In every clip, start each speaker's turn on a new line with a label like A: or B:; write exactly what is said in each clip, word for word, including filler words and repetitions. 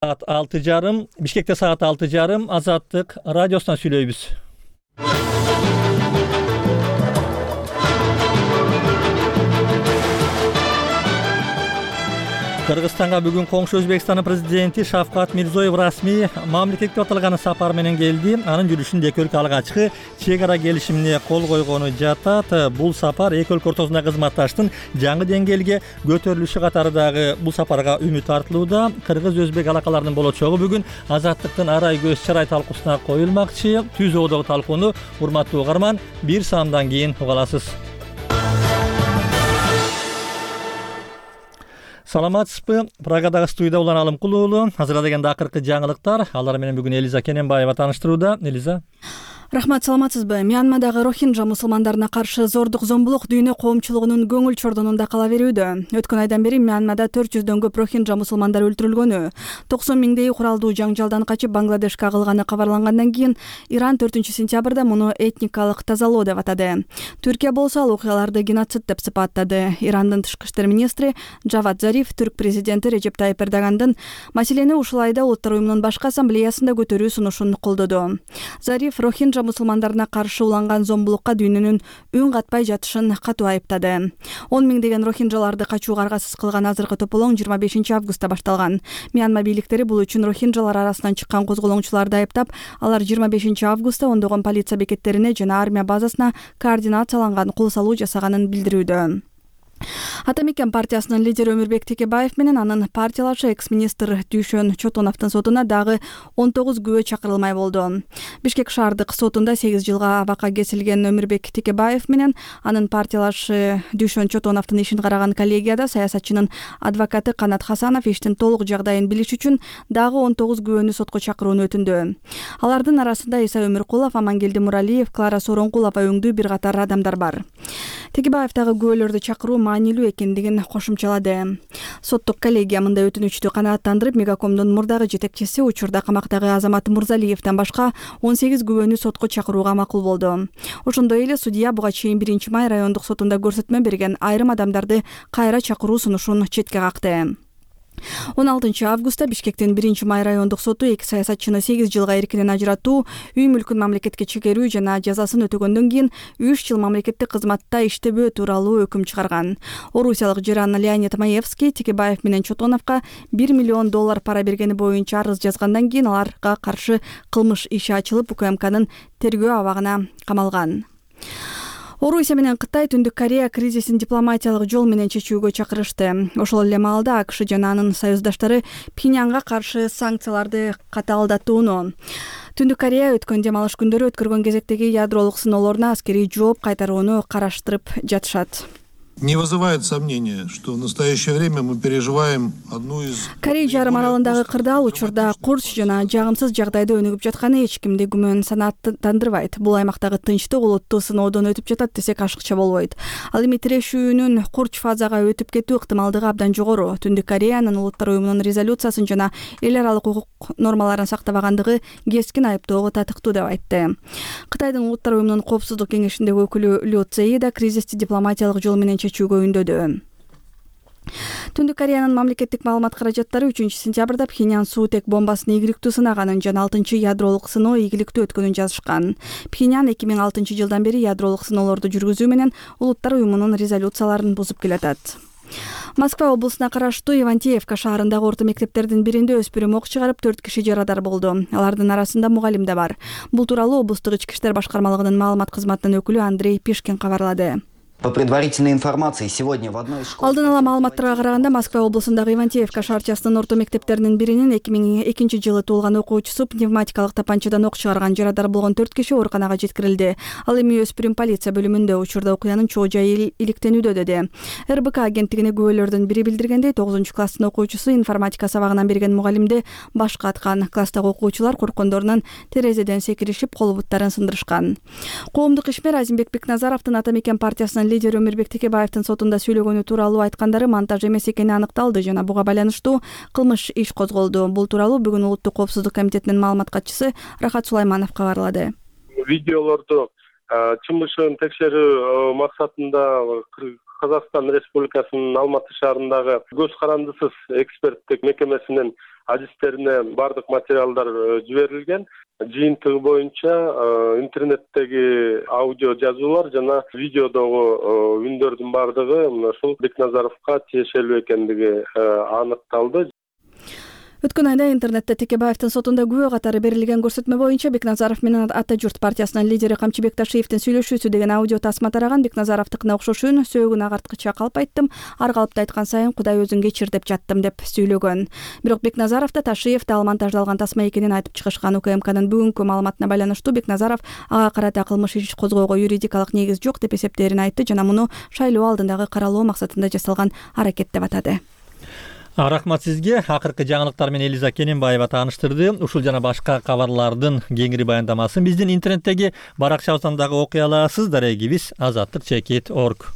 A: Саат алты жарым, Бишкекте саат алты жарым, Азаттык радиосунан сүйлөйбүз. Кыргызстанга бүгүн коңшу Өзбекстандын президенти Шавкат Мирзиёев расмий мамлекетке аталган сапар менен келди. Анын жүрүшүндө эки өлкө алгачкы чек ара келишимине кол койгону жатат. Бул сапар эки өлкө ортосунда кызматташтын жаңы деңгээлге көтөрүлүшү катарындагы бул сапарга үмүт артылууда. Кыргыз-өзбек алакаларынын болочогу бүгүн Азаттыктын арай көз чарай талкуусуна коюлмакчы. Түз оодогу талкууну урматтуу угарман бир саамдан кийин уга аласыз. Саламатсызбы? Прагадагы студияда Улан Алымкулуу уулу. Азыр дегенде акыркы жаңылыктар. Алар менен бүгүн Элиза Кененбаева тааныштырууда. Элиза.
B: Рахмат, саламатсызбы? Мьянмадагы рохинджа мусулмандарына каршы зордук зомбулук дүйнө коомчулугунун көңүл чордонунда кала берүүдө. Өткөн айдан бери Мьянмада төрт жүздөн көп рохинджа мусулмандар өлтүрүлгөнү, токсон миңдей куралдуу жаңжалдан качып Бангладешке агылганы кабарлангандан кийин Иран төртүнчү сентябрда муну этникалык тазалоо деп атады. Түркия болсо ал окуяларды геноцид деп сыпаттады. Ирандын тышкы иштер министри Джавад Зариф түрк президенти Режеп Тайип Эрдогандын маселени ушул айда Улуттар уюмунун башкы ассамблеясында көтөрүү сунушун колдоду. Зариф рохинджа мусулмандарына каршы уланган зомбулукка дүйнөнүн үн катпай жатышын катуу айыптады. он миңдеген рохинджаларды качууга аргасыз кылган азыркы тополоң жыйырма бешинчи августта башталган. Мьянма бийликтери бул үчүн рохинджалар арасынан чыккан козголоңчуларды айыптап, алар жыйырма бешинчи августта ондогон полиция бекеттерине жана армия базасына координацияланган кол салуу жасаганын билдирүүдө. Ата мекен партиясынын лидери Өмүрбек Текебаев менен анын партиялашы экс-министр Дүйшөн Чотоновдун сотуна дагы он тогуз күбө чакырылмай болду. Бишкек шаардык сотунда сегиз жылга абакка кесилген Өмүрбек Текебаев менен анын партиялашы Дүйшөн Чотоновдун ишин караган коллегияда саясатчынын адвокаты Канат Хасанов иштин толук жагдайын билиш үчүн дагы он тогуз күбөнү сотко чакырууну өтүндү. Алардын арасында Иса Өмүркулов, Амангелди Муралиев, Клара Соронкулова өңдүү бир катар адамдар бар. Текебаев дагы күбөлөрдү чакыруу маанилүү экендигин кошумчалады. Соттук коллегия мындай өтүнүчтү канааттандырып, Мегакомдун мурдагы жетекчиси, учурда камактагы Азамат Мурзалиевден башка он сегиз күбөнү сотко чакырууга макул болду. Ошондой эле судья буга чейин биринчи май райондук сотунда көрсөтмө берген айрым адамдарды кайра чакыруу сунушун четке какты. он алтынчы августта Бишкектин биринчи май райондук соту эки саясатчыны сегиз жылга эркинен ажыратуу, үй мүлкүн мамлекетке чегерүү жана жазасын өтөгөндөн кийин үч жыл мамлекеттик кызматта иштебөө тууралуу өкүм чыгарган. Орусиялык Жеран Леонид Маевский Текебаев менен Чотоновго бир миллион доллар пара бергени боюнча арыз жазгандан кийин аларга каршы кылмыш иши ачылып, УКМКнын тергөө абагына камалган. Орусия менен Кытай Түндүк Корея кризисин дипломатиялык жол менен чечүүгө чакырышты. Ошол эле маалда АКШ жана анын союздаштары Пхеньянга каршы санкцияларды катаалдатууну, Түндүк Корея өткөн дем алыш күндөрү өткөргөн кезектеги ядролук сыноолоруна аскерий жооп кайтарууну караштырып жатышат.
C: Не вызывает сомнения, что в настоящее время мы переживаем одну из...
B: Корей жарым аралындагы кырдаал учурда курч жана жагымсыз жагдайда өнүгүп жатканы эч кимди күмөн санааттандырбайт. Бул аймактагы тынчтык улуттуу сыноодон өтүп жатат десек ашыкча болбойт. Ал эми тирешүүнүн курч фазага өтүп кетүү ыктымалдыгы абдан жогору. Түндүк Кореянын Улуттар уюмунун резолюциясын жана эл аралык укук нормаларын сактабагандыгы кескин айыптоого татыктуу деп айтты. Кытайдын Улуттар уюмунун коопсуздук кеңешиндеги өкүлү Лю Цзеи да кризисти дипломатиялык жол менен чечүүгө үндөдү. Түндүк Кореянын мамлекеттик маалымат каражаттары үчүнчү сентябрда Пхеньян суутек бомбасын ийгиликтүү сынаганын жана алтынчы ядролук сыноо ийгиликтүү өткөнүн жазышкан. Пхеньян эки миң алтынчы жылдан бери ядролук сыноолорду жүргүзүү менен Улуттар уюмунун резолюцияларын бузуп келатат. Москва облусуна караштуу Ивантеевка шаарындагы орто мектептердин биринде өспүрүм ок чыгарып төрт киши жарадар болду. Алардын арасында мугалим да бар. Бул тууралуу облустук ички иштер башкармалыгынын маалымат кызматынын өкүлү Андрей Пишкин кабарлады.
D: По предварительной информации, сегодня в одной из школ...
B: Алдын ала маалыматтарга караганда Москва облусундагы Ивантеевка шаарчасынын орто мектептеринин биринин эки миң экинчи жылы туулган окуучусу пневматикалык тапанчадан ок чыгарган, жарадар болгон төрт киши ооруканага жеткирилди. Ал эми өспүрүм полиция бөлүмүндө, учурда окуянын чоо жайы иликтенүүдө деди. эр бэ ка агенттигине күбөлөрдүн бири билдиргендей, тогузунчу класстын окуучусу информатика сабагынан берген мугалимди башка аткан. Класстагы окуучулар корккондорунан терезеден секиришип, кол буттарын сындырышкан. Коомдук ишмер Азимбек Бекназаровдун Ата мекен партиясынын лидери Өмүрбек Текебаевдин сотунда сүйлөгөнү тууралуу айткандары монтаж эмес экени аныкталды жана буга байланыштуу кылмыш иш козголду. Бул тууралуу бүгүн Улуттук коопсуздук комитетинин маалымат катчысы Рахат Сулайманов кабарлады.
E: Видеолорду чымышын текшерүү максатында Казакстан Республикасынын Алматы шаарындагы көз карандысыз эксперттик мекемесинин адистерине бардык материалдар жиберилген. Жыйынтыгы боюнча интернеттеги аудио жазуулар жана видеодогу үндөрдүн бардыгы мына ушул Бекназаровго тиешелүү экендиги аныкталды.
B: Өткөн айда интернетте Текебаевдин сотунда күбө катары берилген көрсөтмө боюнча Бекназаров менен Ата журт партиясынын лидери Камчыбек Ташиевдин сүйлөшүүсү деген аудио тасма тараган. Бекназаровдукуна окшош үн: сөөгүн агарткыча калп айттым, ар калыпта айткан сайын Кудай өзүң кечир деп жаттым деп сүйлөгөн. Бирок Бекназаров да Ташиев да ал монтаждалган тасма экенин айтып чыгышкан. УКМКнын бүгүнкү маалыматына байланыштуу Бекназаров ага карата кылмыш иш козгоого юридикалык негиз жок деп эсептээрин айтты жана муну шайлоо алдындагы каралоо максатында жасалган аракет деп атады.
A: Рахмат сизге. Акыркы жаңылыктар менен Элиза Кененбаева тааныштырды. Ушул жана башка кабарлардын кеңири баяндамасын биздин интернеттеги баракчабыздан дагы окуй аласыз. Дарегибиз азаттык чекит точка орг.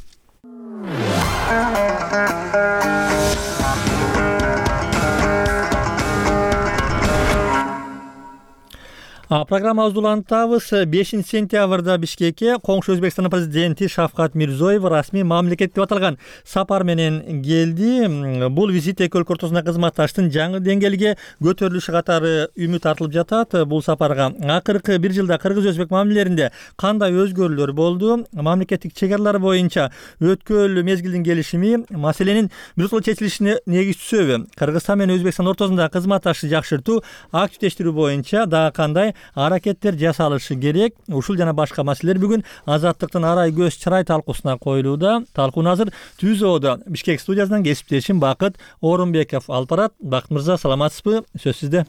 A: Программабызды улантабыз. бешинчи сентябрда Бишкекке коңшу Өзбекстандын президенти Шавкат Мирзиёев расмий мамлекет деп аталган сапар менен келди. Бул визит эки өлкө ортосундагы кызматташтын жаңы деңгээлге көтөрүлүшү катары үмүт артылып жатат. Бул сапарга акыркы бир жылда кыргыз-өзбек мамилелеринде кандай өзгөрүүлөр болду? Мамлекеттик чек аралар боюнча өткөн мезгилдин келишими маселенин биротоло чечилишине негиз түшөбү? Кыргызстан менен Өзбекстан ортосундагы кызматташтыкты жакшыртуу, активдештирүү боюнча дагы кандай аракеттер жасалышы керек? Ушул жана башка маселелер бүгүн Азаттыктын арай көз чырай талкуусуна коюлууда. Талкууну азыр Түзөөдө Бишкек студиясынан кесиптешим Бакыт Орунбеков алып барат. Бакыт мырза, саламатсызбы? Сөз сизде.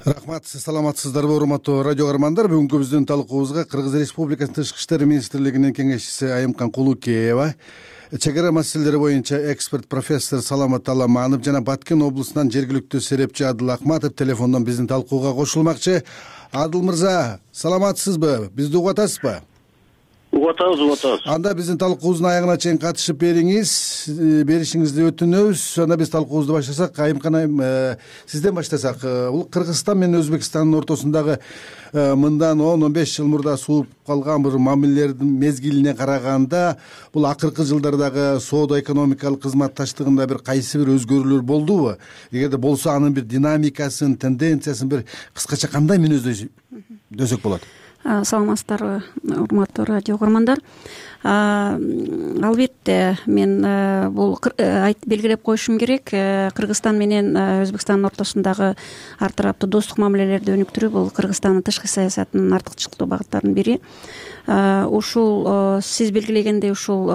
F: Рахмат, саламатсыздарбы урматтуу радио көрөрмандар? Бүгүнкү биздин талкуубузга Кыргыз Республикасынын Тышкы иштер министрлигинин кеңешчиси Айымкан Кулукеева, чек ара маселелери боюнча эксперт профессор Саламат Аламанов жана Баткен облусунан жергиликтүү серепчи Адыл Акматов телефондон биздин талкууга кошулмакчы. Адыл мырза, саламатсызбы? Бизди угуп атасызбы?
G: Угуп атабыз, угуп атабыз.
F: Анда биздин талкуубуздун аягына чейин катышып бериңиз, беришиңизди өтүнөбүз. Анда биз талкуубузду баштасак, Айымкан айым, сизден баштасак. Бул Кыргызстан менен Өзбекстандын ортосундагы мындан он он беш жыл мурда сууп калган бир мамилелердин мезгилине караганда, бул акыркы жылдардагы соода экономикалык кызматташтыгында бир кайсы бир өзгөрүүлөр болдубу? Эгерде болсо, анын бир динамикасын, тенденциясын бир кыскача кандай мүнөздөсөк болот?
H: Саламатсыздарбы, урматтуу радио көрөрмандар. Албетте мен бул белгилеп коюшум керек. Кыргызстан менен Өзбекстандын ортосундагы ар тараптуу достук мамилелерди өнүктүрүү бул Кыргызстандын тышкы саясатынын артыкчылыктуу багыттарынын бири. Ушул сиз белгилегендей ушул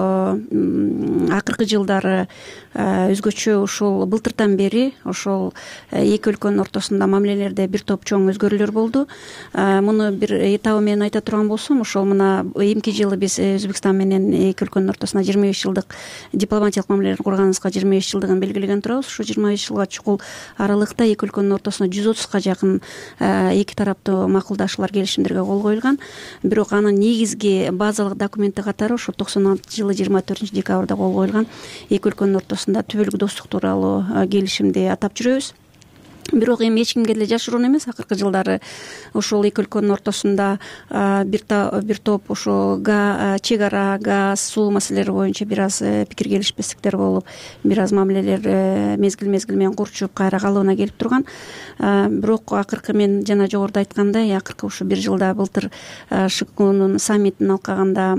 H: акыркы жылдары өзгөчө ушул былтыртан бери ошол эки өлкөнүн ортосунда мамилелерде бир топ чоң өзгөрүүлөр болду. Муну бир этабы менен айта турган болсом, ошол мына эмки жылы биз Өзбекстан менен эки өлкөнүн ортосуна жыйырма беш жылдык дипломатиялык мамилелер курганыбызга жыйырма беш жылдыгын белгилеген турабыз. Ушу жыйырма беш жылга чукул аралыкта эки өлкөнүн ортосуна жүз отузга жакын эки тараптуу макулдашуулар, келишимдерге кол коюлган. Бирок анын негизги базалык документи катары ошо токсон алтынчы жылы жыйырма төртүнчү декабрда кол коюлган эки өлкөнүн ортосунда түбөлүк достук тууралуу келишимди атап жүрөбүз. Бирок эми эч кимге деле жашыруун эмес, акыркы жылдары ошол эки өлкөнүн ортосунда бир топ ошо чек ара, газ, суу маселелери боюнча бир аз пикир келишпестиктер болуп, бир аз мамилелер мезгил мезгил менен курчуп кайра калыбына келип турган. Бирок акыркы мен жана жогоруда айткандай, акыркы ушу бир жылда былтыр ШКУнун саммитин алкаганда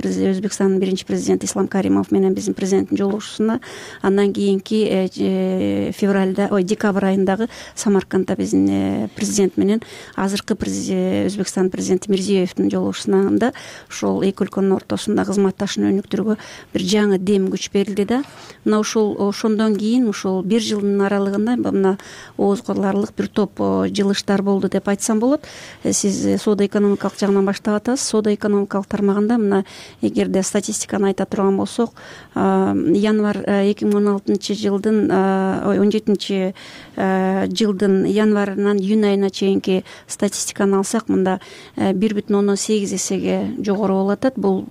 H: Өзбекстандын биринчи президенти Ислам Каримов менен биздин президенттин жолугушуусунда, андан кийинки февралда, ой, декабрь айындагы Самаркандда биздин президент менен азыркы Өзбекстан президенти Мирзиёевдин жолугушуусунда ошол эки өлкөнүн ортосунда кызматташууну өнүктүрүүгө бир жаңы дем күч берилди да. Мына ошол ошондон кийин ушул бир жылдын аралыгында мына ооз кыларлык бир топ жылыштар болду деп айтсам болот. Сиз соода экономикалык жагынан баштап атасыз. Соода экономикалык тармагында мына эгерде статистиканы айта турган болсок, январь эки миң он алтынчы жылдын ой он жетинчи жылдын январынан июнь айына чейинки статистиканы алсак, мында бир бүтүн ондон сегиз эсеге жогору болуп атат. Бул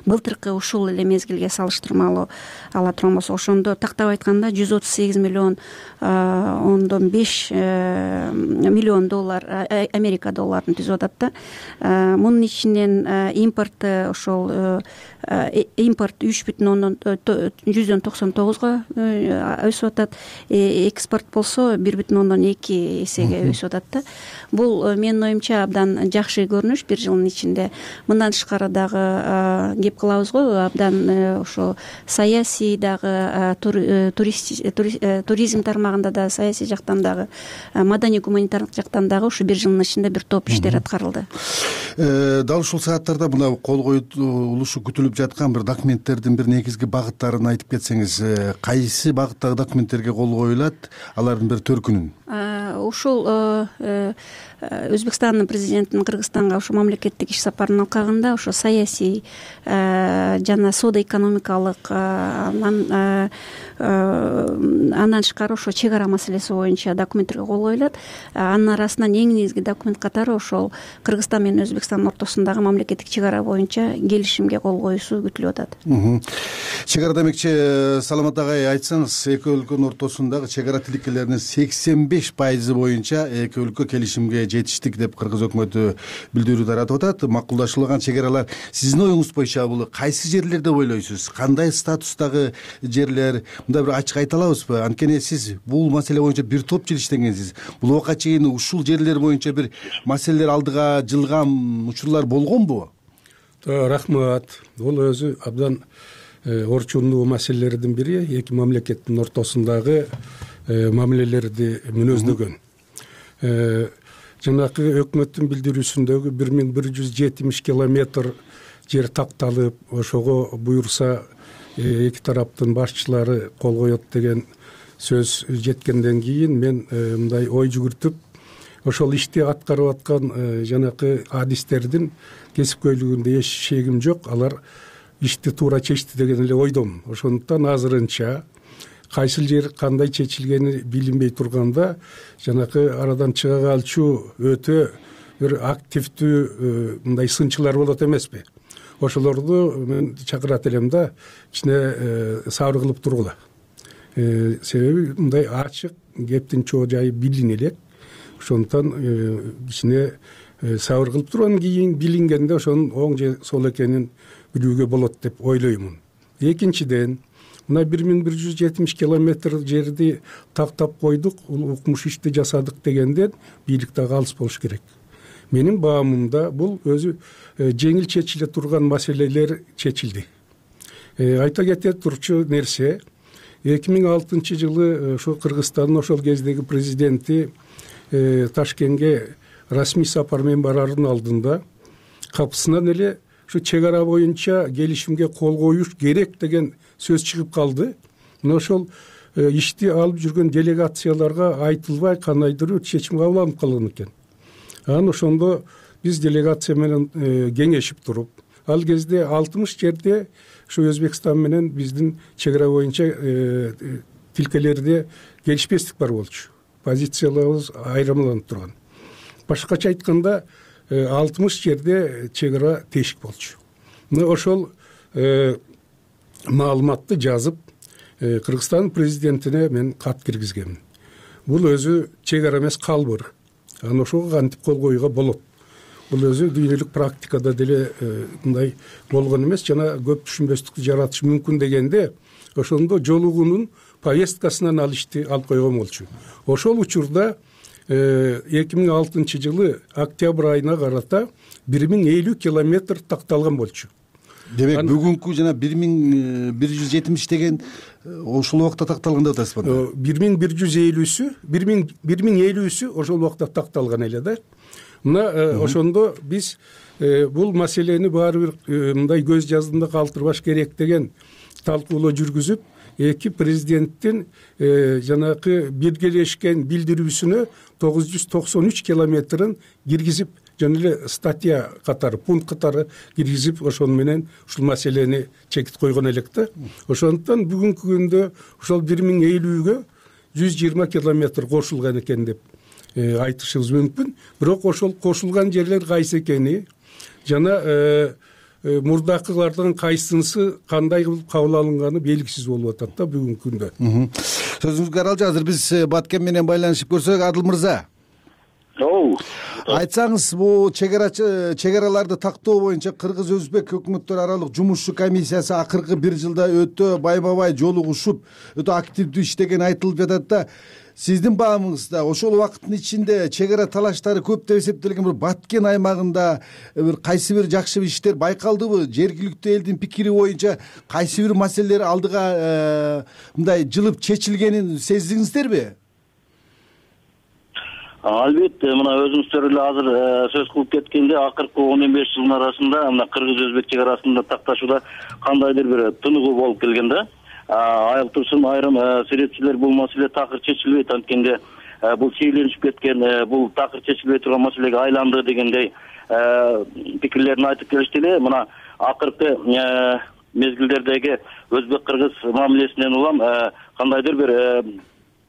H: былтыркы ушул эле мезгилге салыштырмалуу ала турган болсок, ошондо тактап айтканда жүз отуз сегиз миллион ондон беш миллион доллар Америка долларын түзүп атат да. Мунун ичинен импорт ошол импорт үч бүтүн ондон жүздөн токсон тогузго өсүп атат. Экспорт болсо бир бүтүн ондон эки эсеге өсүп атат да. Бул менин оюмча абдан жакшы көрүнүш бир жылдын ичинде. Мындан тышкары дагы кеп кылабыз го, абдан ошо саясий дагы, туризм тармагында да, саясий жактан дагы, маданий гуманитардык жактан дагы ушу бир жылдын ичинде бир топ иштер аткарылды.
F: Дал ушул сааттарда мына кол коюлушу күтүлүп жаткан бир документтердин бир негизги багыттарын айтып кетсеңиз, кайсы багыттагы документтерге кол коюлат, алардын бир төркүнүн?
H: Ушул Өзбекстандын президентинин Кыргызстанга ошо мамлекеттик иш сапарынын алкагында ошо саясий жана соода экономикалык, анан андан тышкары ошо чек ара маселеси боюнча документтерге кол коюлат. Анын арасынан эң негизги документ катары ошол Кыргызстан менен Өзбекстандын ортосундагы мамлекеттик чек ара боюнча келишимге кол коюусу күтүлүп атат.
F: Чек ара демекчи, Саламат агай, айтсаңыз, эки өлкөнүн ортосундагы чек ара тиликелеринин сексен беш пайызы боюнча эки өлкө келишимге жетиштик деп кыргыз өкмөтү билдирүү таратып атат. Макулдашылган чек аралар сиздин оюңуз боюнча бул кайсы жерлерде ойлойсуз? Кандай статустагы жерлер? Мында бир ачык айта алабызбы? Анткени сиз бул маселе боюнча бир топ жыл иштегенсиз. Бул убакка чейин ушул жерлер боюнча бир маселелер алдыга жылган учурлар болгонбу?
I: Рахмат. Бул өзү абдан орчундуу маселелердин бири, эки мамлекеттин ортосундагы мамилелерди мүнөздөгөн. Жанакы өкмөттүн билдирүүсүндөгү бир миң бир жүз жетимиш километр жер такталып, ошого буюрса эки тараптын башчылары кол коет деген сөз жеткенден кийин мен мындай ой жүгүртүп, ошол ишти аткарып аткан жанакы адистердин кесипкөйлүгүндө эч шегим жок. Алар ишти туура чечти деген эле ойдомун. Ошондуктан азырынча кайсыл жер кандай чечилгени билинбей турганда, жанакы арадан чыга калчу өтө бир активдүү мындай сынчылар болот эмеспи? Ошолорду мен чакырат элем да, ичине сабыр кылып тургула. Себеби мындай ачык кептин чоо жайы билин элек. Ошондуктан ичине сабыр кылып тургандан кийин билингенде ошонун оң же сол экенин билүүгө болот деп ойлоймун. Экинчиден, мына бир миң бир жүз жетимиш километр жерди тактап койдук, укмуш ишти жасадык дегенден бийлик дагы алыс болуш керек. Менин баамымда бул өзү жеңил чечиле турган маселелер чечилди. Айта кете турчу нерсе, эки миң алтынчы жылы ошо Кыргызстандын ошол кездеги президенти Ташкентке расмий сапар менен бараардын алдында капысынан эле ушу чек ара боюнча келишимге кол коюш керек деген сөз чыгып калды. Мына ошол ишти алып жүргөн делегацияларга айтылбай кандайдыр чечим кабыл алынып калган экен. Анан ошондо биз делегация менен кеңешип туруп, ал кезде алтымыш жерде ушу Өзбекстан менен биздин чек ара боюнча тилкелерде келишпестик бар болчу. Позицияларыбыз айырмаланып турган. Башкача айтканда алтымыш жерде чек ара тешик болчу. Мына ошол маалыматты жазып Кыргызстан президентине мен кат киргизгенмин. Бул өзү чек ара эмес, калбыр. Анан ошого кантип кол коюуга болот. Бул өзү дүйнөлүк практикада деле мындай болгон эмес, жана көп түшүнбөстүктү жаратышы мүмкүн дегенде, ошондо жолугунун повесткасынан ал ишти алып койгон болчу. Ошол учурда эки миң алтынчы жылы октябрь айына карата бир миң элүү километр такталган болчу.
F: Демек бүгүнкү жана бир миң бир жүз жетимиш деген ошол убакта такталган деп атасызбы?
I: бир миң бир жүз элүүсү, бир миң элүүсү ошол убакта такталган эле да. Мына ошондо биз бул маселени баары бир мындай көз жаздында калтырбаш керек деген талкуулоо жүргүзүп, эки президенттин жанакы биргелешкен билдирүүсүнө тогуз жүз токсон үч километрин киргизип, жана эле статья катары, пункт катары киргизип, ошону менен ушул маселени чекит койгон элек да. Ошондуктан бүгүнкү күндө ошол бир миң элүүгө жүз жыйырма километр кошулган экен деп айтышыбыз мүмкүн. Бирок ошол кошулган жерлер кайсы экени жана мурдакылардын кайсынысы кандай кылып кабыл алынганы белгисиз болуп атат да бүгүнкү күндө.
F: Сөзүңүзгө аралжы. Азыр биз Баткен менен байланышып көрсөк, Адыл мырза.
G: Оо.
F: Айтсаңыз, бул чегарачы чегараларды тактоо боюнча кыргыз өзбек өкмөттөр аралык жумушчу комиссиясы акыркы бир жылда өтө байма-бай жолугушуп, өтө активдүү иштеген айтылып жатат да. Сиздин баамыңызда ошол убакыттын ичинде чегара талаштары көп деп эсептелген бир Баткен аймагында бир кайсы бир жакшы иштер байкалдыбы? Жергиликтүү элдин пикири боюнча кайсы бир маселелер алдыга мындай жылып чечилгенин сездиңиздерби?
G: Албетте, мына өзүңүздөр эле азыр сөз кылып кеткенде, акыркы он беш жылдын арасында мына кыргыз-өзбек чегарасында такташууда кандайдыр бир тыныгуу болуп келген да. Айыл турсун айрым серепчилер бул маселе такыр чечилбейт, анткенде бул чегленишип кеткен, бул такыр чечилбей турган маселеге айланды дегендей пикирлерин айтып келишти эле. Мына акыркы мезгилдердеги өзбек-кыргыз мамилесинен улам кандайдыр бир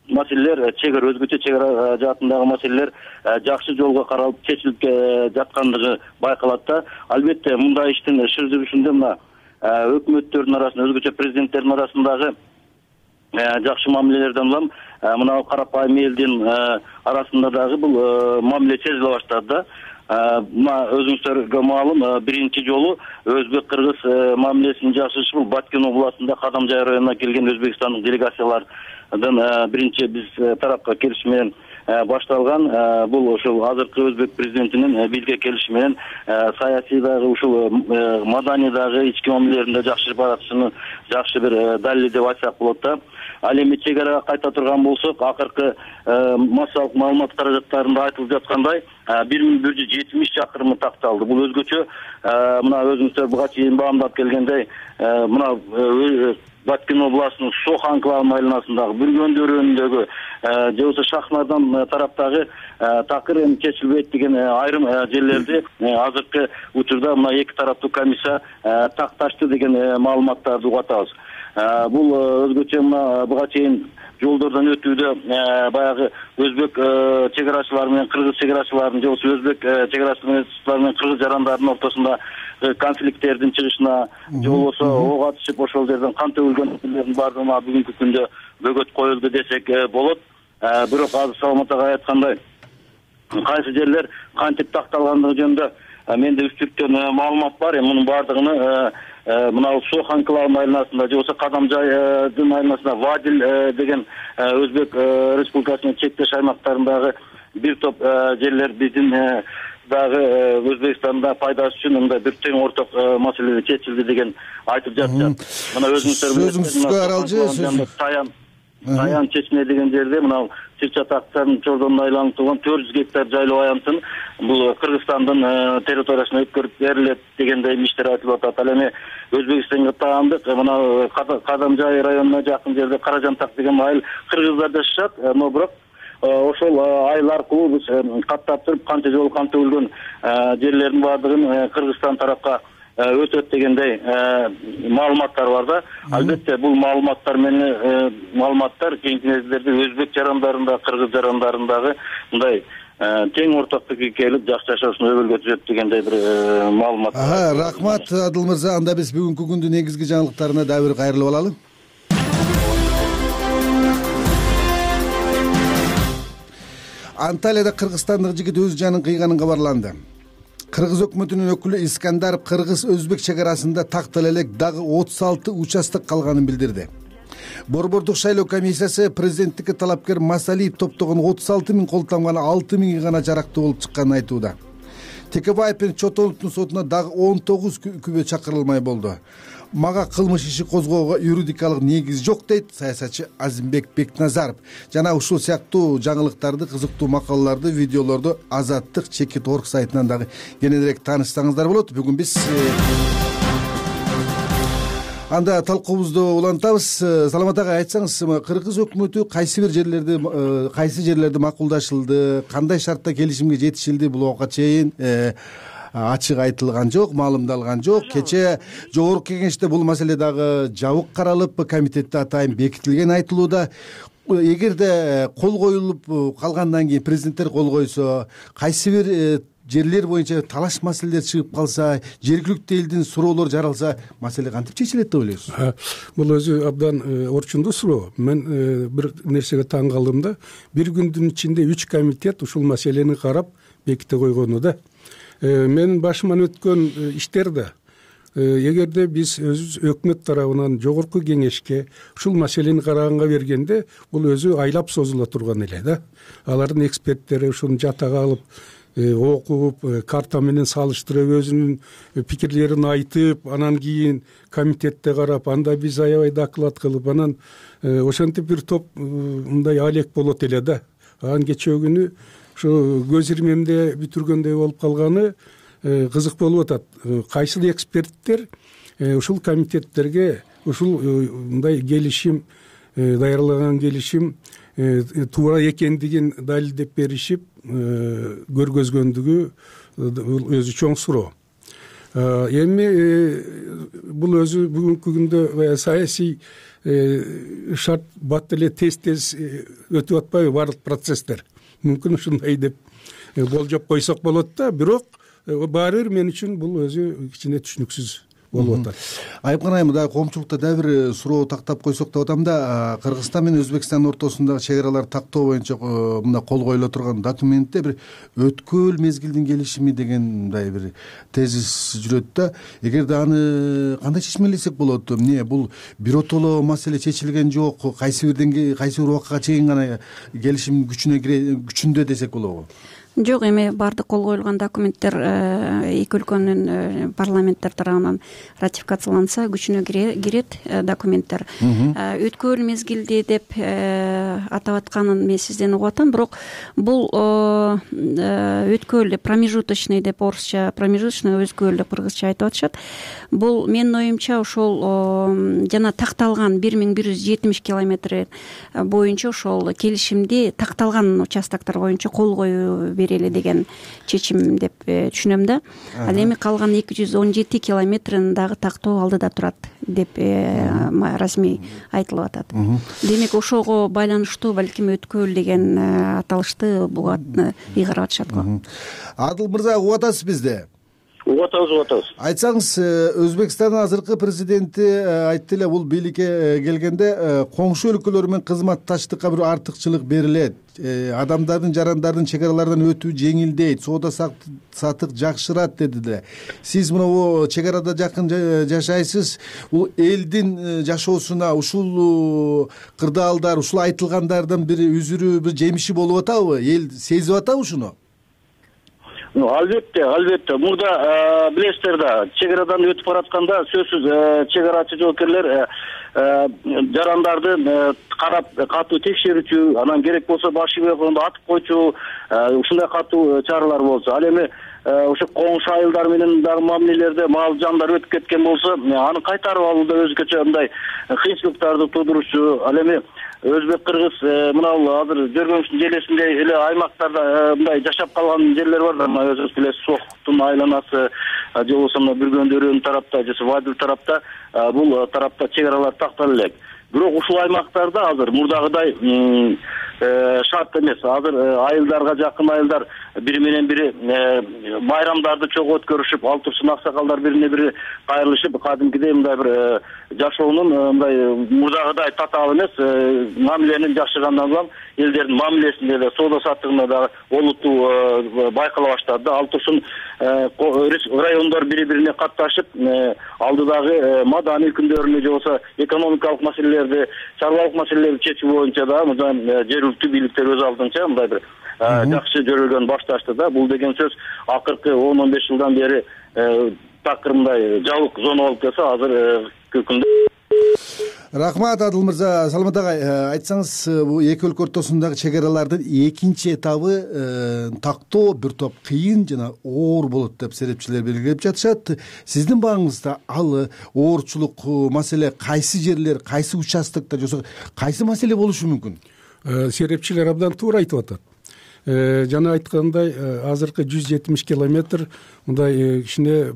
G: маселелер, чегара өзгөчө чегара жаатындагы маселелер жакшы жолго каралып чечилип жаткандыгы байкалат да. Албетте, мындай иштин шыр жүрүшүндө мына өкмөттөрдүн арасында, өзгөчө президенттердин арасындагы жакшы мамилелерден улам мына карапайым элдин арасында дагы бул мамиле сезиле баштады да. Мына өзүңүздөргө маалым, биринчи жолу өзбек-кыргыз мамилесинин жакшырышы бул Баткен областында Кадамжай районуна келген өзбекстандык делегациялардын биринчи биз тарапка келиши менен башталган. Бул ошол азыркы өзбек президентинин бизге келиши менен саясий дагы ушул маданий дагы ички мамилелеринде жакшырып баратышыны жакшы бир далил деп айтсак болот да. Ал эми чегарага кайта турган болсок, акыркы массалык маалымат каражаттарында айтылып жаткандай бир миң бир жүз жетимиш чакырымы такталды. Бул өзгөчө мына өзүңүздөр буга чейин баамдап келгендей, мына Баткен областынын Шох анклавы айланасындагы Бүргөн дөөрөнүндөгү же болбосо Шахмардан тараптагы такыр эми чечилбейт деген айрым жерлерди азыркы учурда мына эки тараптуу комиссия такташты деген маалыматтарды угатабыз. Бул өзгөчө мына буга чейин жолдордон өтүүдө баягы өзбек чегарачылары менен кыргыз чегарачыларынын же болбосо өзбек чегарачылары менен кыргыз жарандардын ортосунда конфликттердин чыгышына же болбосо ок атышып ошол жерден кан төгүлгөндөрдүн баардыгына бүгүнкү күндө бөгөт коюлду десек болот. Бирок азыр Саламат ага айткандай, кайсы жерлер кантип такталгандыгы жөнүндө менде үч түрттөн маалымат бар. Эми мунун баардыгын мына Шох анклавы айланасында же болбосо Кадамжайдын айланасында Вадил деген Өзбек Республикасынын чектеш аймактарындагы бир топ жерлер биздин дагы Өзбекстанда пайдасы үчүн мындай бир тең орток маселеде чечилди деген айтып жатышат. Мына өзүңүздөр
F: аралжы
G: Таян Таян чечме деген жерде мына Чырчатактын чордонуна айланып турган төрт жүз гектар жайлоо аянтын бул Кыргызстандын территориясына өткөрүп берилет дегендей иштер айтылып атат. Ал эми Өзбекстанга таандык мына Кадамжай районуна жакын жерде Каражантак деген айыл кыргыздар жашашат, но бирок ошол айыл аркылуу биз каттап туруп канча жолу кан төгүлгөн жерлердин баардыгын Кыргызстан тарапка өтөт дегендей маалыматтар бар да. Албетте бул маалыматтар менен маалыматтар кийинки мезгилдерде өзбек жарандарында, кыргыз жарандарындагы мындай тең орток пикирге келип жакшы жашоосуна өбөлгө түзөт дегендей бир маалымат.
F: Рахмат Адыл мырза. Анда биз бүгүнкү күндүн негизги жаңылыктарына дагы бир кайрылып алалы. Анталияда кыргызстандык жигит өз жанын кыйганын кабарланды. Кыргыз өкмөтүнүн өкүлү Искандаров кыргыз-өзбек чегарасында тактала элек дагы отуз алты участок калганын билдирди. Борбордук шайлоо комиссиясы президенттикке талапкер Масалиев топтогон отуз алты миң колтонган алты миңи гана жарактуу болуп чыкканын айтууда. Текебаев менен Чотоновдун сотуна дагы он тогуз күбө чакырылмай болду. Мага кылмыш иши козгоого юридикалык негиз жок дейт саясатчы Азимбек Бекназаров. Жана ушул сыяктуу жаңылыктарды, кызыктуу макалаларды, видеолорду Азаттык чекит орг сайтынан дагы кененирээк таанышсаңыздар болот. Бүгүн биз анда талкуубузду улантабыз. Саламат ага, айтсаңыз, кыргыз өкмөтү кайсы бир жерлерди кайсы жерлерди макулдашылды, кандай шартта келишимге жетишилди, бул убакка чейин ачык айтылган жок, маалымдалган жок. Кечээ жогорку кеңеште бул маселе дагы жабык каралып, комитетте атайын бекитилген айтылууда. эгерде кол коюлуп калгандан кийин президенттер кол койсо, кайсы бир жерлер боюнча талаш маселелер чыгып калса, жергиликтүү элдин суроолору жаралса, маселе кантип чечилет деп ойлойсуз?
I: Бул өзү абдан орчундуу суроо. Мен бир нерсеге таң калдым да, бир күндүн ичинде үч комитет ушул маселени карап беките койгону да. Менин башыман өткөн иштер да, эгерде биз өзүбүз өкмөт тарабынан жогорку кеңешке ушул маселени караганга бергенде, бул өзү айлап созула турган эле да. Алардын эксперттери ушуну жатага алып окуп, карта менен салыштырып, өзүнүн пикирлерин айтып, анан кийин комитетте карап, анда биз аябай доклад кылып, анан ошентип бир топ мындай алек болот эле да. Анан кечээ күнү ушу көз ирмемде бүтүргөндөй болуп калганы кызык болуп атат. Кайсыл эксперттер ушул комитеттерге ушул мындай келишим, даярлаган келишим туура экендигин далилдеп беришип көргөзгөндүгү өзү чоң суроо. Эми бул өзү бүгүнкү күндө саясий шарт бат эле тез-тез өтүп атпайбы баардык процесстер? Мүмкүн ушундай деп болжоп койсок болот да, бирок баары бир мен үчүн бул өзү кичине түшүнүксүз болуп атат.
F: Айыпкан айым, дагы коомчулукта дагы бир суроо тактап койсок деп атам да, Кыргызстан менен Өзбекстандын ортосундагы чек араларды тактоо боюнча мындай кол коюла турган документте бир өткөл мезгилдин келишими деген мындай бир тезис жүрөт да. Эгерде аны кандай чечмелесек болот? Эмне бул биротоло маселе чечилген жок, кайсы бирден кайсы бир убакытка чейин гана келишим күчүнө кире күчүндө десек болобу?
H: Жок, эми баардык кол коюлган документтер эки өлкөнүн парламенттер тарабынан ратификацияланса күчүнө кирет документтер. Өткөл мезгилде деп атап атканын мен сизден угуп атам, бирок бул өткөл промежуточный деп орусча, промежуточный өткөл деп кыргызча айтып атышат. Бул менин оюмча ошол жана такталган бир миң бир жүз жетимиш километр боюнча ошол келишимди такталган участоктор боюнча кол коюу берели деген чечим деп түшүнөм да. Ал эми калган эки жүз он жети километрин дагы тактоо алдыда турат деп расмий айтылып атат. Демек ошого байланыштуу балким өткөл деген аталышты буга ыйгарып атышат го.
F: Адыл мырза, угуп атасыз бизди?
G: Угуп атабыз, угуп атабыз.
F: Айтсаңыз, Өзбекстандын азыркы президенти айтты эле, бул бийликке келгенде коңшу өлкөлөр менен кызматташтыкка бир артыкчылык берилет, адамдардын, жарандардын чек аралардан өтүү жеңилдейт, соода сатык жакшырат деди да. Сиз мына чек арада жакын жашайсыз, бул элдин жашоосуна ушул кырдаалдар, ушул айтылгандардын бир үзүрү, бир жемиши болуп атабы? Эл сезип атабы ушуну?
G: Албетте, албетте. Мурда билесиздер да, чек арадан өтүп баратканда сөзсүз чек арачы жоокерлер жарандарды карап катуу текшерүүчү, анан керек болсо баш ийгөндө атып койчу, ушундай катуу чаралар болчу. Ал эми ошо коңшу айылдар менен дагы мамилелерде мал жандар өтүп кеткен болсо, аны кайтарып алууда өзгөчө мындай кыйынчылыктарды туудуручу. Ал эми өзбек кыргыз мына азыр Жөргөнчүн желесинде эле аймактарда мындай жашап калган жерлер бар да, мына өзүңүз билесиз, Соктун айланасы, же болбосо мына Бүргөндөрүн тарапта, же Вадил тарапта, бул тарапта чек аралар тактала элек. Бирок ушул аймактарда азыр мурдагыдай шарт эмес. Азыр айылдарга жакын айылдар бири менен бири байрамдарды чогуу өткөрүшүп, ал турсун аксакалдар бирине бири кайрылышып, кадимкидей мындай бир жашоонун мындай мурдагыдай татаал эмес, мамиленин жакшыргандан улам элдердин мамилесинде да, соода саттыгында да олуттуу байкала баштады. Ал турсун райондор бири-бирине катташып, алдыдагы маданий күндөрүнү же болбосо экономикалык маселелерди, чарбалык маселелерди чечүү боюнча да жергиликтүү бийликтер өз алдынча мындай бир жакшы жөрөлгөн башташты да. Бул деген сөз акыркы он он беш жылдан бери такыр мындай жабык зона болуп келсе, азыр күндө.
F: Рахмат, Адыл мырза. Саламат агай, айтсаңыз, бул эки өлкө ортосундагы чек аралардын экинчи этабы тактоо бир топ кыйын жана оор болот деп серепчилер белгилеп жатышат. Сиздин бааңызда ал оорчулук маселе кайсы жерлер, кайсы участоктор, же кайсы маселе болушу мүмкүн?
I: Серепчилер абдан туура айтып атат. Жана айткандай, азыркы жүз жетимиш километр мындай кичине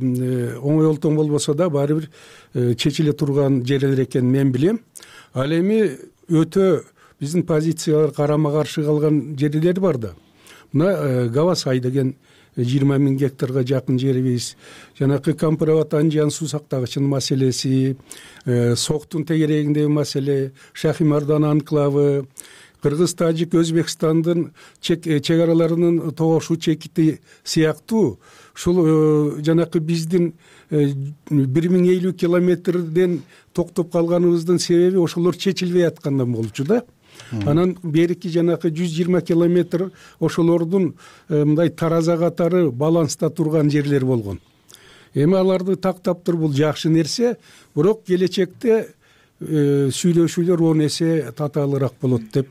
I: оңой олтоң болбосо да баары бир чечиле турган жерлер экенин мен билем. Ал эми өтө биздин позициялар карама каршы калган жерлер бар да. Мына Гавасай деген жыйырма миң гектарга жакын жерибиз, жанакы Кампироват Анжан суу сактагычынын маселеси, Соктун тегерегиндеги маселе, Шахимардан анклавы, Кыргыз, Тажик, Өзбекстандын чек араларынын тогошуу чекити сыяктуу ушул жанакы биздин бир миң элүү километрден токтоп калганыбыздын себеби ошолор чечилбей аткандан болчу да. Анан берки жанакы жүз жыйырма километр ошолордун мындай тараза катары баланста турган жерлер болгон. Эми аларды тактап туруп бул жакшы нерсе, бирок келечекте сүйлөшүүлөр он эсе татаалыраак болот деп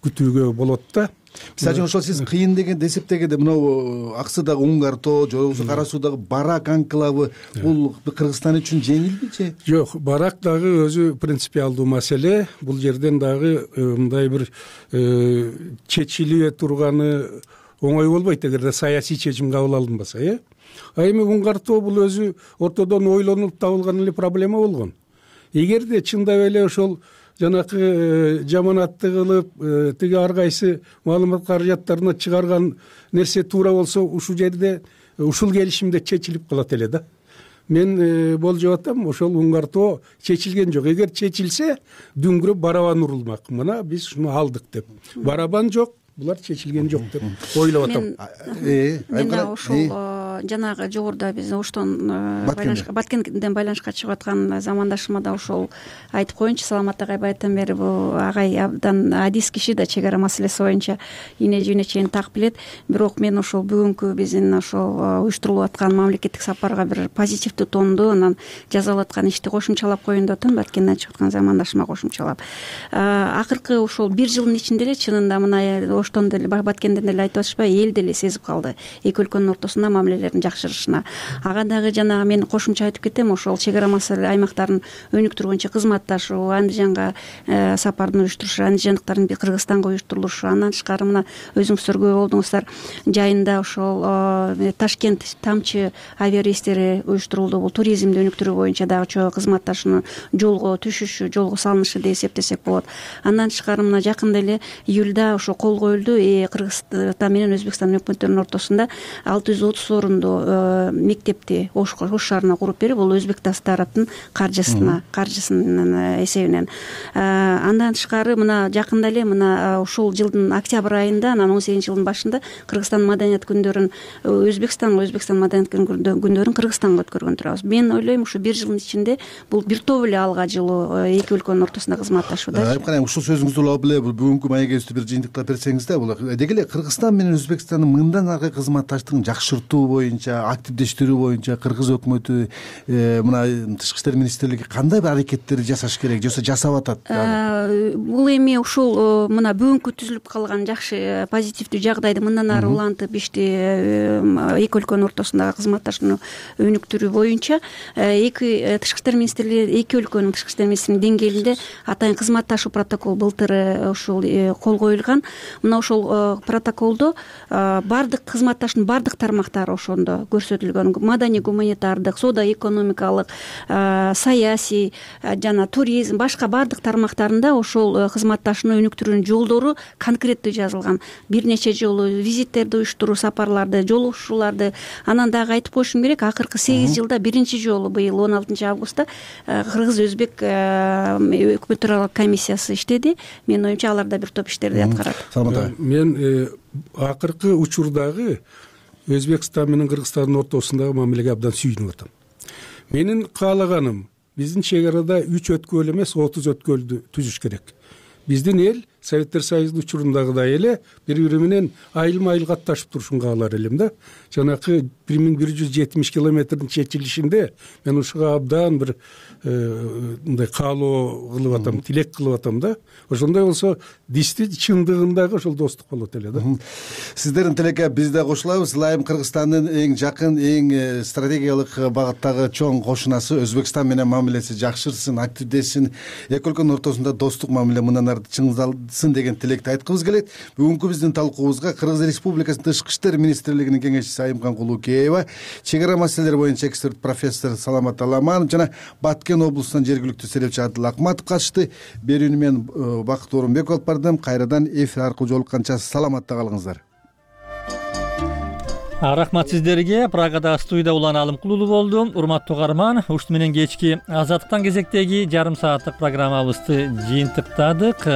I: күтүүгө болот да.
F: Мисалы үчүн ошол сиз кыйын деген эсептегенде мынау Аксыдагы Уңгар тоо же болбосо Кара Суудагы Барак анклавы бул Кыргызстан үчүн жеңилби же?
I: Жок, Барак дагы өзү принципиалдуу маселе. Бул жерден дагы мындай бир чечиле турганы оңой болбойт эгерде саясий чечим кабыл алынбаса, э? А эми Уңгар тоо бул өзү ортодон ойлонуп табылган эле проблема болгон. Эгерде чындап эле ошол жанакы жаманатты кылып тиги ар кайсы маалымат каражаттарына чыгарган нерсе туура болсо ушул жерде ушул келишимде чечилип калат эле да. Мен болжоп атам, ошол Уңгар тоо чечилген жок. Эгер чечилсе дүңгүрөп барабан урулмак. Мына биз ушуну алдык деп. Барабан жок, булар чечилген жок деп ойлоп атам.
H: Мен ошол жанагы жогоруда биз оштон Баткенден байланышка чыгып аткан замандашыма да ошол айтып коеюнчу. Саламат агай байттан бери бул агай абдан адис киши да, чек ара маселеси боюнча ийне жүйүнө чейин так билет. Бирок мен ошол бүгүнкү биздин ошол уюштурулуп аткан мамлекеттик сапарга бир позитивдүү тонду, анан жасалып аткан ишти кошумчалап коеюн деп атам. Баткенден чыгып аткан замандашыма кошумчалап. Акыркы ошол бир жылдын ичинде эле чынында мына оштон деле Баткенден деле айтып атышпайбы, эл деле сезип калды эки өлкөнүн ортосунда мамилелердин жакшырышына. Ага дагы жанагы мен кошумча айтып кетем, ошол чек ара маселе аймактарын өнүктүргөнчө кызматташуу, Андижанга сапардын уюштурушу, андижандыктардын Кыргызстанга уюштурулушу, андан тышкары мына өзүңүздөр күбө болдуңуздар, жайында ошол Ташкент тамчы авиарейстери уюштурулду. Бул туризмди өнүктүрүү боюнча дагы чоң кызматташууну жолго түшүшү, жолго салынышы деп эсептесек болот. Андан тышкары мына жакында эле июлда ошо кол коюлду Кыргызстан менен Өзбекстан өкмөттөрүнүн ортосунда алты жүз отуз орундуу мектепти Ош шаарына куруп берип, бул өзбек тараптын каржысына, каржысынын эсебинен. Андан тышкары мына жакында эле мына ушул жылдын октябрь айында, анан он сегизинчи жылдын башында Кыргызстан маданият күндөрүн Өзбекстанга, Өзбекстан маданият күндөрүн Кыргызстанга өткөргөн турабыз. Мен ойлойм, ушу бир жылдын ичинде бул бир топ эле алга жылуу эки өлкөнүн ортосунда кызматташууда.
F: Айып караң, ушул сөзүңүздү улап эле бул бүгүнкү маегибизди бир жыйынтыктап берсеңиз да, бул деги эле Кыргызстан менен Өзбекстандын мындан аркы кызматташтыгын жакшыртуу боюнча, активдештирүү боюнча Кыргыз өкмөтү, мына тышкы иштер министрлиги кандай бир аракеттер жасаш керек, же жасап атат?
H: Бул эми ушул мына бүгүнкү түзүлүп калган жакшы позитивдүү жагдайды мындан ары улантып ишти эки өлкөнүн ортосундагы кызматташууну өнүктүрүү боюнча эки тышкы иштер министрлиги, эки өлкөнүн тышкы иштер министрлигинин деңгээлинде атайын кызматташуу протокол былтыр ушул кол коюлган. Мына ошол протоколдо бардык кызматташуунун бардык тармактары ошондо көрсөтүлгөн. Маданий гуманитардык, соода экономикалык, саясий жана туризм, башка бардык тармактарында ошол кызматташууну өнүктүрүүнүн жолдору конкреттүү жазылган. Бир нече жолу визиттерди уюштуруу, сапарларды, жолугушууларды. Анан дагы айтып коюшум керек, акыркы сегиз жылда биринчи жолу быйыл он алтынчы августта Кыргыз-Өзбек өкмөттөр аралык комиссиясы иштеди. Менин оюмча алар да бир топ иштерди аткарат.
I: Мен акыркы учурдагы Өзбекстан менен Кыргызстандын ортосундагы мамилеге абдан сүйүнүп атам. Менин каалаганым биздин чек арада үч өткөл эмес, отуз өткөлдү түзүш керек. Биздин эл Советтер Союзунун учурундагыдай эле бири-бири менен айылма-айыл катташып турушун каалар элем да. Жанакы бир миң бир жүз жетимиш километрдин чечилишинде мен ушуга абдан бир мындай каалоо кылып атам, тилек кылып атам да. Ошондой болсо дисти чындыгындагы ошол достук болот эле да.
F: Сиздердин тилекке биз да кошулабыз. Ылайым Кыргызстандын эң жакын, эң стратегиялык багыттагы чоң кошунасы Өзбекстан менен мамилеси жакшырсын, активдешсин. Эки өлкөнүн ортосунда достук мамиле мындан ары айтсын деген тилекти айткыбыз келет. Бүгүнкү биздин талкуубузга Кыргыз Республикасынын Тышкы иштер министрлигинин кеңешчиси Айымкан Кулукеева, чек ара маселелери боюнча эксперт профессор Саламат Аламанов жана Баткен облусунан жергиликтүү серепчи Адыл Акматов катышты. Берүүнү мен Бакыт Орунбеков алып бардым. Кайрадан эфир аркылуу жолукканча саламатта калыңыздар.
A: Рахмат сиздерге. Прагада студияда Улан Алымкулуу болду. Урматтуу угарман, ушуну менен кечки Азаттыктан кезектеги жарым сааттык программабызды жыйынтыктадык.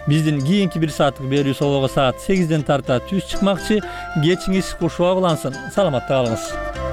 A: Биздин кийинки бир сааттык берүү собого саат сегизден тарта түз чыкмакчы. Кечиңиз кушуа улансын. Саламатта калыңыз.